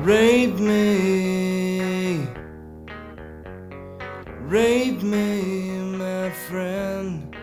Rape me, rape me, my friend,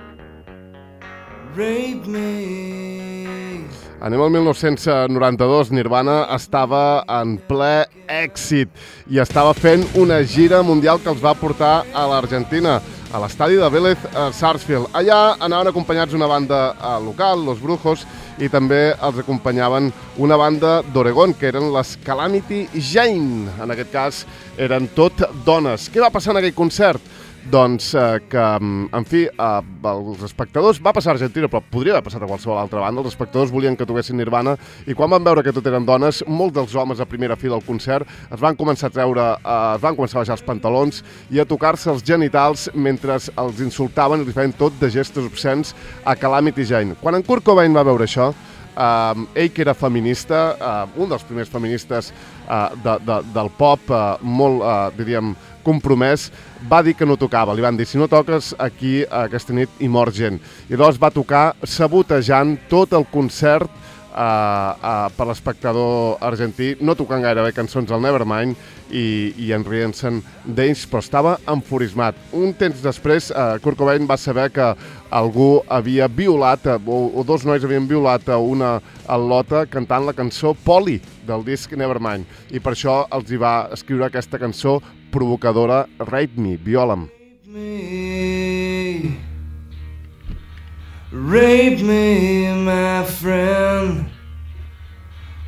rape me. Anem al 1992, Nirvana estava en ple èxit i estava fent una gira mundial que els va portar a l'Argentina, a l'estadi de Vélez Sarsfield. Allà anaven acompanyats una banda local, Los Brujos, i també els acompanyaven una banda d'Oregon, que eren les Calamity Jane. En aquest cas, eren tot dones. Què va passar en aquell concert? Doncs que, en fi, els espectadors, va passar a Argentina, però podria haver passat a qualsevol altra banda, els espectadors volien que toquessin Nirvana i quan van veure que tot eren dones, molts dels homes a primera fila al concert es van començar a baixar els pantalons i a tocar-se els genitals mentre els insultaven i li feien tot de gestos obscens a Calamity Jane. Quan en Kurt Cobain va veure això, ell que era feminista, un dels primers feministes del pop, molt, diríem, compromès, va dir que no tocava. Li van dir, si no toques aquí aquesta nit hi mor gent. I llavors va tocar sabotejant tot el concert per l'espectador argentí, no tocant gairebé cançons del Nevermind i enrient-se'n d'ells, però estava enfurismat. Un temps després, Kurt Cobain va saber que algú havia violat, o dos nois havien violat a una al·lota cantant la cançó Polly del disc Nevermind, i per això els hi va escriure aquesta cançó provocadora, Rape Me, viola'm. Rape me, my friend,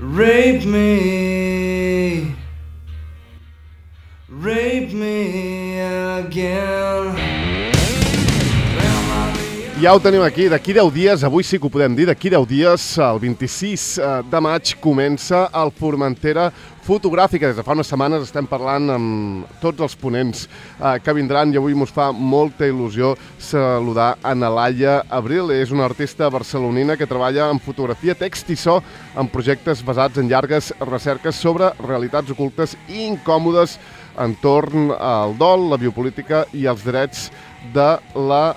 rape me, rape me again. Ja ho tenim aquí, d'aquí 10 dies, avui sí que ho podem dir, d'aquí 10 dies, el 26 de maig, comença el Formentera Fotogràfica. Des de fa unes setmanes estem parlant amb tots els ponents que vindran i avui mos fa molta il·lusió saludar a Laia Abril. És una artista barcelonina que treballa en fotografia, text i so en projectes basats en llargues recerques sobre realitats ocultes i incòmodes entorn al dol, la biopolítica i els drets de la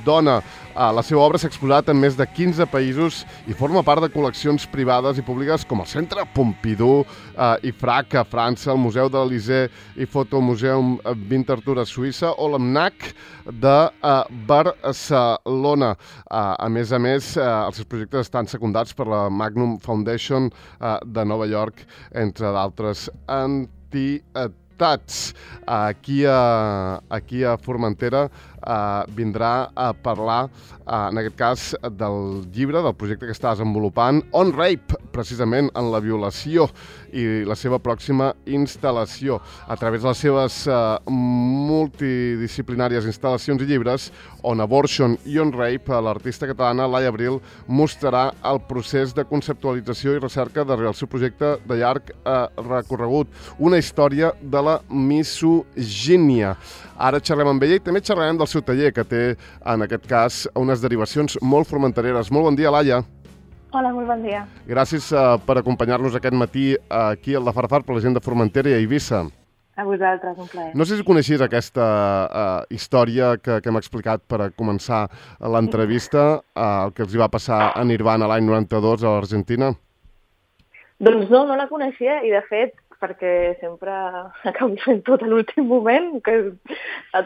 dona. La seva obra s'ha exposat en més de 15 països i forma part de col·leccions privades i públiques com el Centre Pompidou i FRAC a França, el Museu de l'Elysée i Fotomuseum Winterthur a Suïssa o l'AMNAC de Barcelona. A més, els seus projectes estan secundats per la Magnum Foundation de Nova York, entre d'altres entitats. Aquí a Formentera vindrà a parlar, en aquest cas, del llibre, del projecte que està desenvolupant, On Rape, precisament en la violació, i la seva pròxima instal·lació. A través de les seves multidisciplinàries instal·lacions i llibres, On Abortion i On Rape, l'artista catalana Laia Abril mostrarà el procés de conceptualització i recerca darrere el seu projecte de llarg recorregut, una història de la misogínia. Ara xerrem amb ella i també xerrarem del seu taller, que té, en aquest cas, unes derivacions molt formentereres. Molt bon dia, Laia. Hola, molt bon dia. Gràcies per acompanyar-nos aquest matí aquí al de Farfar per la gent de Formentera i a Eivissa. A vosaltres, un plaer. No sé si coneixies aquesta història que hem explicat per començar l'entrevista, el que els hi va passar a Nirvana l'any 92 a l'Argentina. Doncs no la coneixia i, de fet, perquè sempre acabo fent tot a l'últim moment, que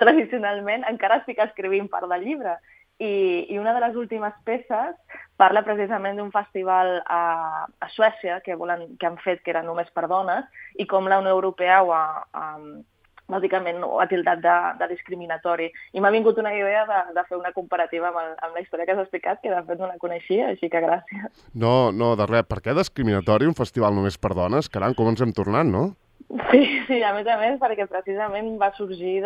tradicionalment encara estic escrivint part del llibre. I una de les últimes peces parla precisament d'un festival a Suècia que han fet que era només per dones i com la Unió Europea bàsicament ho ha tildat de discriminatori. I m'ha vingut una idea de fer una comparativa amb la història que has explicat, que de fet no la coneixia, així que gràcies. No, de res. Per què discriminatori un festival només per dones? Caram, com ens hem tornat, no? Sí, a més, perquè precisament va sorgir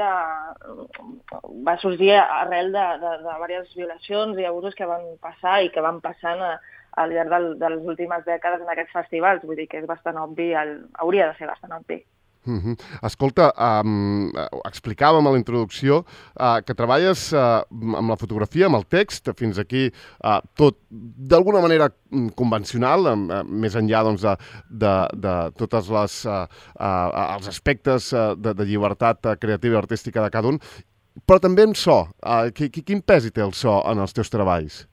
arrel de diverses violacions i abusos que van passar i que van passant al llarg de les últimes dècades en aquests festivals. Vull dir que és bastant obvi, hauria de ser bastant obvi. Escolta, explicàvem a la introducció que treballes amb la fotografia, amb el text, fins aquí tot d'alguna manera convencional, més enllà de tots els aspectes de llibertat creativa i artística de cada un, però també en so. Quin pes hi té el so en els teus treballs?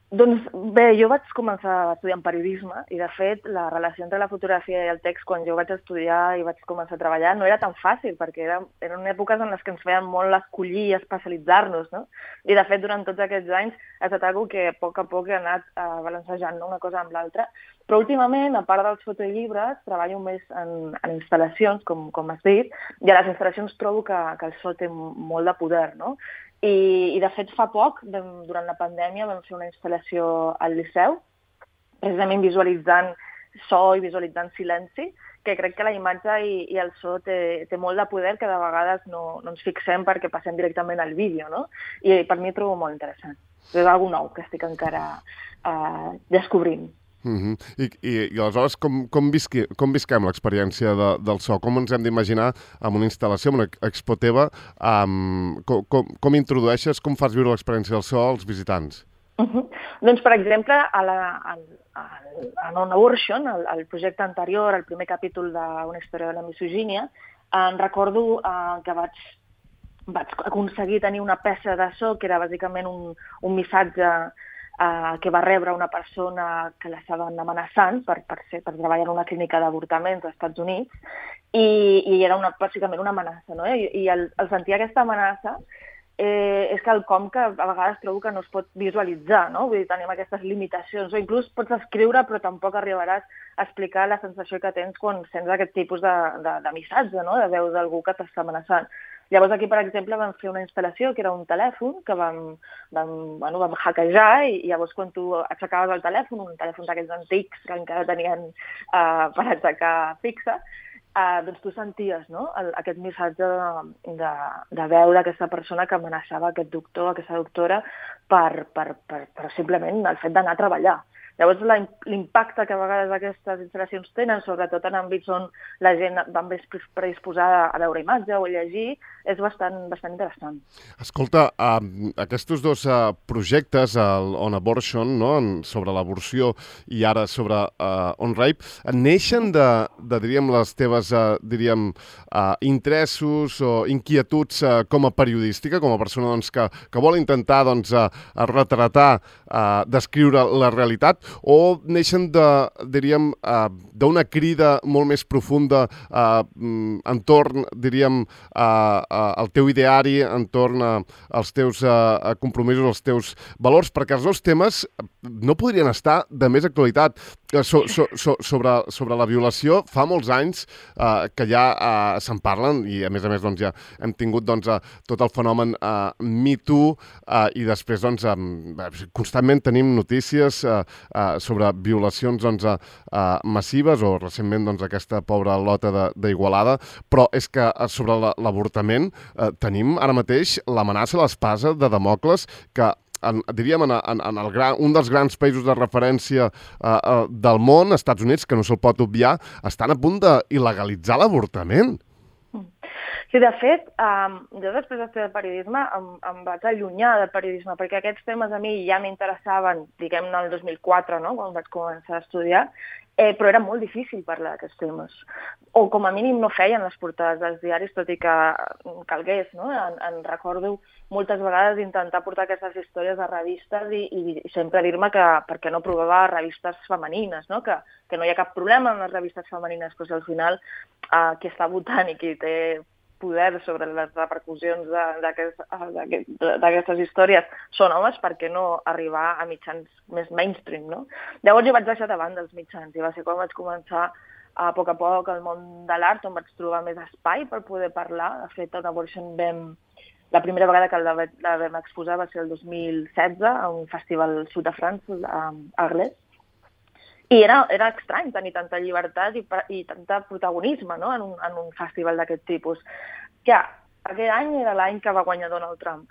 Doncs bé, jo vaig començar estudiant periodisme i, de fet, la relació entre la fotografia i el text, quan jo vaig estudiar i vaig començar a treballar, no era tan fàcil, perquè eren èpoques en les que ens feien molt escollir i especialitzar-nos, no? I, de fet, durant tots aquests anys ha estat una que a poc he anat balancejant, no? Una cosa amb l'altra. Però últimament, a part dels fotollibres, treballo més en instal·lacions, com has dit, i a les instal·lacions trobo que el so té molt de poder, no? I de fet, fa poc, durant la pandèmia, vam fer una instal·lació al Liceu, precisament visualitzant so i visualitzant silenci, que crec que la imatge i el so té molt de poder, que de vegades no ens fixem perquè passem directament al vídeo, no? I per mi trobo molt interessant. És alguna nou que estic encara descobrint. I aleshores, com visquem l'experiència del so? Com ens hem d'imaginar amb una instal·lació, amb una expo teva? Com introdueixes, com fas viure l'experiència del so als visitants? Doncs, per exemple, en On Abortion, el projecte anterior, el primer capítol d'Una història de la misogínia, recordo que vaig aconseguir tenir una peça de so que era bàsicament un missatge que va rebre una persona que l'estaven amenaçant per treballar en una clínica d'avortaments als Estats Units, i era bàsicament una amenaça, no? I al sentir aquesta amenaça és quelcom que a vegades trobo que no es pot visualitzar, no? Vull dir, tenim aquestes limitacions, o inclús pots escriure però tampoc arribaràs a explicar la sensació que tens quan sents aquest tipus de missatge, no? De veu d'algú que t'està amenaçant. Llavors aquí, per exemple, vam fer una instal·lació que era un telèfon que vam hackejar, i llavors quan tu aixecaves el telèfon, un telèfon d'aquells antics que encara tenien per aixecar fixa, doncs tu senties, no? Aquest missatge de veu d'aquesta persona que amenaçava aquest doctor, aquesta doctora, per simplement el fet d'anar a treballar. Llavors, l'impacte que a vegades aquestes instal·lacions tenen, sobretot en àmbits on la gent va més predisposada a veure imatge o a llegir, és bastant interessant. Escolta, aquests dos projectes, el On Abortion, no? Sobre l'aborció, i ara sobre On Rape, neixen diríem, les teves interessos o inquietuds com a periodística, com a persona que vol intentar retratar, descriure la realitat, o neixen d'una crida molt més profunda entorn, diríem, al teu ideari, entorn als teus compromisos, als teus valors, perquè els dos temes no podrien estar de més actualitat. Sobre la violació, fa molts anys que ja se'n parlen, i a més ja hem tingut tot el fenomen Me Too, i després constantment tenim notícies sobre violacions massives, o recentment aquesta pobra Lota d'Igualada, però és que sobre l'avortament tenim ara mateix l'amenaça, l'espasa de Damocles, que diríem en un dels grans països de referència del món, Estats Units, que no se'l pot obviar, estan a punt d'il·legalitzar l'avortament. Sí, de fet, jo després d'estudiar periodisme em vaig allunyar del periodisme, perquè aquests temes a mi ja m'interessaven, diguem-ne, el 2004, no?, quan vaig començar a estudiar, però era molt difícil parlar d'aquests temes. O com a mínim no feien les portades dels diaris, tot i que calgués, no? En recordo moltes vegades intentar portar aquestes històries a revistes i sempre dir-me que per què no provava revistes femenines, no? Que no hi ha cap problema en les revistes femenines, però si al final qui està votant i qui té poder sobre les repercussions d'aquestes històries són homes, per què no arribar a mitjans més mainstream, no? Llavors jo vaig deixar de banda els mitjans, i va ser quan vaig començar a poc el món de l'art, on vaig trobar més espai per poder parlar. De fet, a On Abortion la primera vegada que la vam exposar va ser el 2016 a un festival al sud de França, a Arles. I era estrany tenir tanta llibertat i tanta protagonisme, no?, en un festival d'aquest tipus. Que aquell any era l'any que va guanyar Donald Trump.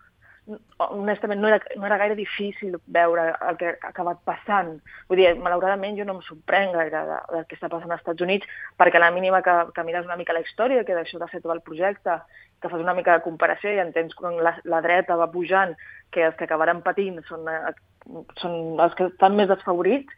Honestament, no era gaire difícil veure el que ha acabat passant. Vull dir, malauradament jo no em sorprenc gaire del que està passant als Estats Units, perquè a la mínima que mires una mica la història, que d'això de fer tot el projecte, que fas una mica de comparació i entens quan la dreta va pujant, que els que acabaran patint són els que estan més desfavorits,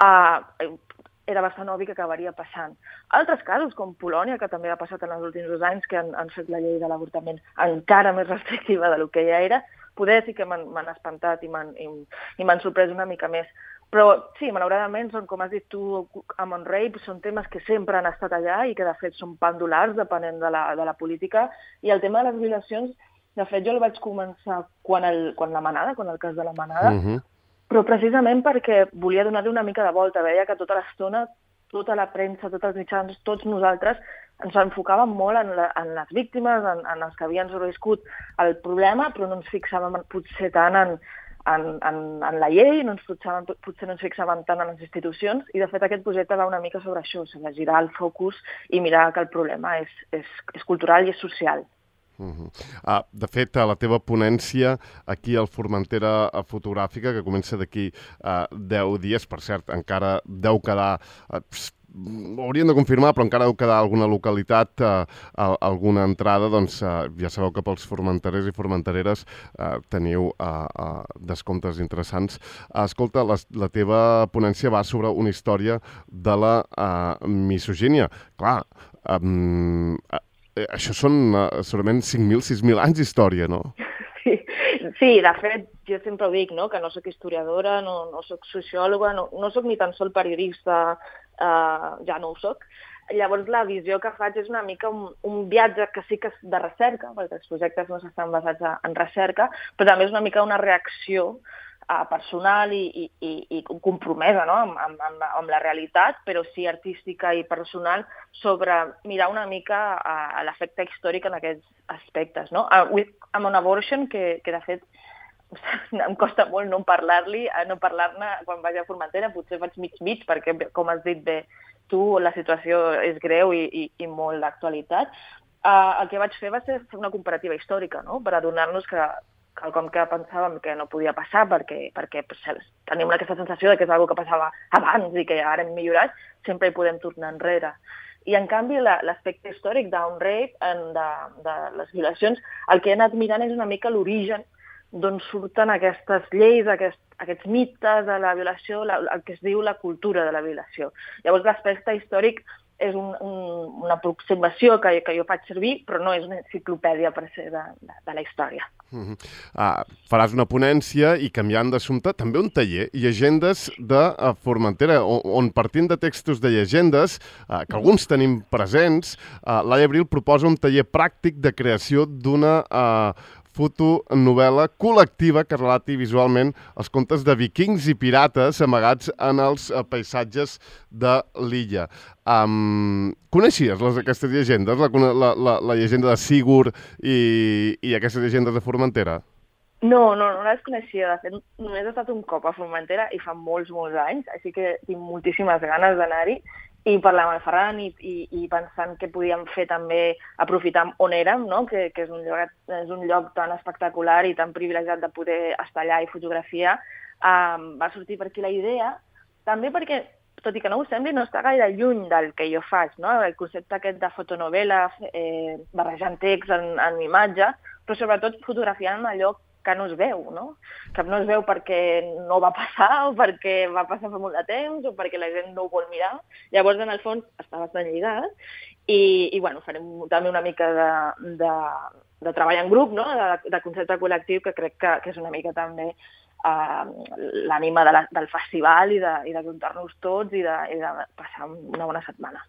era bastant obvi que acabaria passant. Altres casos, com Polònia, que també ha passat en els últims 2 anys, que han fet la llei de l'avortament encara més restrictiva del que ja era, poder sí que m'han espantat i m'han sorprès una mica més. Però sí, malauradament, són, com has dit tu, amb On Rape, són temes que sempre han estat allà i que de fet són pendulars depenent de la política. I el tema de les violacions, de fet, jo el vaig començar quan el cas de la Manada, però precisament perquè volia donar-li una mica de volta. Veia que tota l'estona, tota la premsa, tots els mitjans, tots nosaltres ens enfocàvem molt en les víctimes, en els que havien sobreviscut el problema, però no ens fixàvem potser tant en la llei, potser no ens fixàvem tant en les institucions, i de fet aquest projecte va una mica sobre això, sobre girar el focus i mirar que el problema és cultural i és social. De fet, a la teva ponència aquí al Formentera Fotogràfica, que comença d'aquí 10 dies, per cert, encara deu quedar... hauríem de confirmar, però encara deu quedar alguna localitat, alguna entrada, doncs ja sabeu que pels formenterers i formentereres teniu descomptes interessants. Escolta, la teva ponència va sobre una història de la misogínia. Clar, això són segurament 5.000, 6.000 anys d'història, no? Sí, de fet, jo sempre ho dic, no? Que no soc historiadora, no soc sociòloga, no soc ni tan sols periodista, ja no ho soc. Llavors, la visió que faig és una mica un viatge que sí que és de recerca, perquè els projectes no estan basats en recerca, però també és una mica una reacció personal i compromesa, no? amb la realitat, però sí artística i personal, sobre mirar una mica l'efecte històric en aquests aspectes. No? Amb un abortion, que de fet em costa molt no parlar-ne quan vaig a Formentera, potser faig mig, perquè, com has dit bé tu, la situació és greu i molt d'actualitat. El que vaig fer va ser una comparativa històrica, no? Per adonar-nos que quelcom que pensàvem que no podia passar perquè tenim aquesta sensació de que és una cosa que passava abans i que ara hem millorat, sempre hi podem tornar enrere. I, en canvi, l'aspecte històric d'On Rape, de les violacions, el que he anat mirant és una mica l'origen d'on surten aquestes lleis, aquests mites de la violació, el que es diu la cultura de la violació. Llavors, l'aspecte històric és una aproximació que jo faig servir, però no és una enciclopèdia per ser de la història. Faràs una ponència i, canviant d'assumpte, també un taller, Llegendes de Formentera, on partint de textos de llegendes, que alguns tenim presents, Laia Abril proposa un taller pràctic de creació d'una fotonovel·la col·lectiva que relati visualment els contes de vikings i pirates amagats en els paisatges de l'illa. Coneixies aquestes llegendes? La llegenda de Sigurd i aquestes llegendes de Formentera? No les coneixia. De fet, només he estat un cop a Formentera i fa molts anys, així que tinc moltíssimes ganes d'anar-hi. I parlar amb el Ferran i pensant que podíem fer també, aprofitar on érem, no? Que és un lloc tan espectacular i tan privilegiat de poder estar allà i fotografiar, va sortir per aquí la idea, també perquè, tot i que no ho sembli, no està gaire lluny del que jo faig, no? El concepte aquest de fotonovel·la, barrejant text en imatge, però sobretot fotografiant allò que no es veu, no? Que no es veu perquè no va passar o perquè va passar fa molt de temps o perquè la gent no ho vol mirar. Llavors, en el fons, està bastant lligat i bueno, farem també una mica de treball en grup, no? De concepte col·lectiu, que crec que és una mica també l'ànima del festival i de juntar-nos tots i de passar una bona setmana.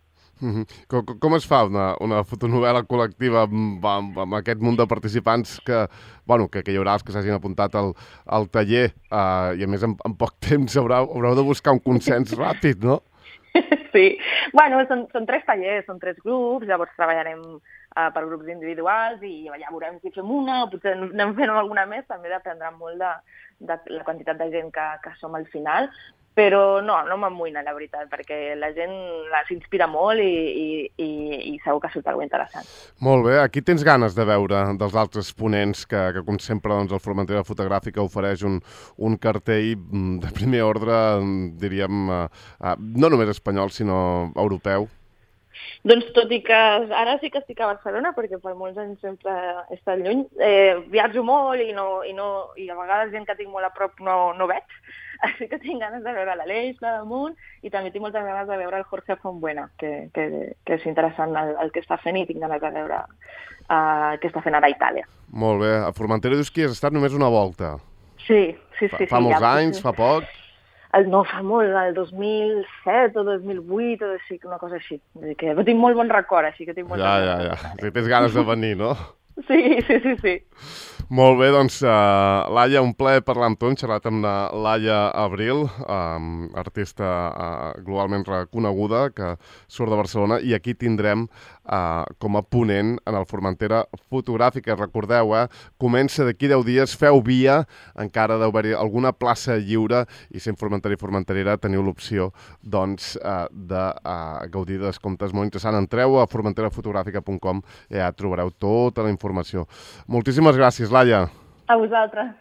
Com es fa una fotonovel·la col·lectiva amb aquest munt de participants que hi haurà els que s'hagin apuntat al taller i a més en poc temps haureu de buscar un consens ràpid, no? Sí, bueno, són 3 tallers, són 3 grups, llavors treballarem per grups individuals i ja veurem si fem una o potser anem fent alguna més, també dependrà molt de la quantitat de gent que som al final. Però no m'amoïna, la veritat, perquè la gent s'inspira molt i segur que surt alguna interessant. Molt bé, aquí tens ganes de veure dels altres ponents que com sempre, el Formentera Fotogràfica ofereix un cartell de primer ordre, diríem, no només espanyol, sinó europeu. Doncs tot i que ara sí que estic a Barcelona, perquè per molts anys sempre he estat lluny, viatjo molt i a vegades gent que tinc molt a prop no veig, així que tinc ganes de veure l'Aleix, la damunt, i també tinc moltes ganes de veure el Jorge Fontbuena, que és interessant el que està fent i tinc ganes de veure què està fent ara a Itàlia. Molt bé. A Formentera dius que has estat només una volta. Sí. Fa molts anys, fa poc? No, fa molt, el 2007 o 2008 o així, una cosa així. Vull dir que tinc molt bon record, així que tinc molt... Ja. Si tens ganes de venir, no? Sí. Molt bé, doncs, Laia, un plaer parlar amb tu. Hem xerrat amb la Laia Abril, artista globalment reconeguda, que surt de Barcelona, i aquí tindrem com a ponent en el Formentera Fotogràfica. Recordeu, comença d'aquí 10 dies, feu via, encara deu haver-hi alguna plaça lliure, i sent formentera i formenterera teniu l'opció, doncs, de gaudir de descomptes molt interessants. Entreu a formenterafotogràfica.com i ja trobareu tota la informació. Moltíssimes gràcies, Laia. A vosaltres.